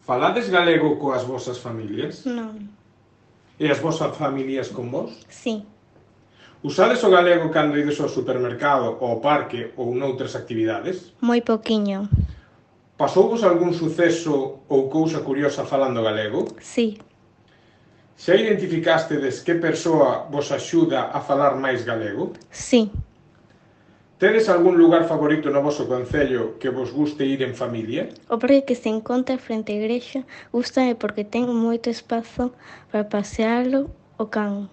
Falades galego coas vosas familias? Non. E as vosas familias con vos? Sí. Usades o galego cando ides ao supermercado, ao parque ou noutras actividades? Moi poquiño. Pasouvos algún suceso ou cousa curiosa falando galego? Sí. Xa identificastedes que persoa vos axuda a falar máis galego? Sí. Tedes algún lugar favorito no voso concello que vos guste ir en familia? O parque que se encontra frente á igrexa gústame porque ten moito espazo para pasealo o can.